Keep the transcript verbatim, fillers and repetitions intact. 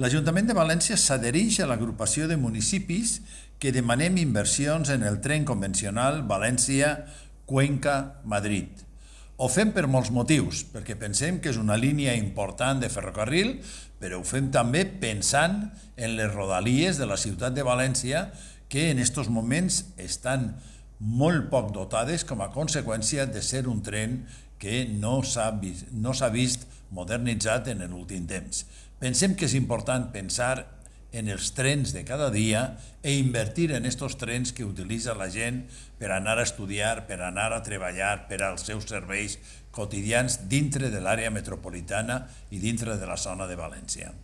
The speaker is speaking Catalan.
L'Ajuntament de València s'adhereix a l'agrupació de municipis que demanem inversions en el tren convencional València-Cuenca-Madrid. Ho fem per molts motius, perquè pensem que és una línia important de ferrocarril, però ho fem també pensant en les rodalies de la ciutat de València, que en aquests moments estan molt poc dotades com a conseqüència de ser un tren que no s'ha vist, no s'ha vist modernitzat en l'últim temps. Pensem que és important pensar en els trens de cada dia e invertir en aquests trens que utilitza la gent per anar a estudiar, per anar a treballar, per als seus serveis quotidians dintre de l'àrea metropolitana i dintre de la zona de València.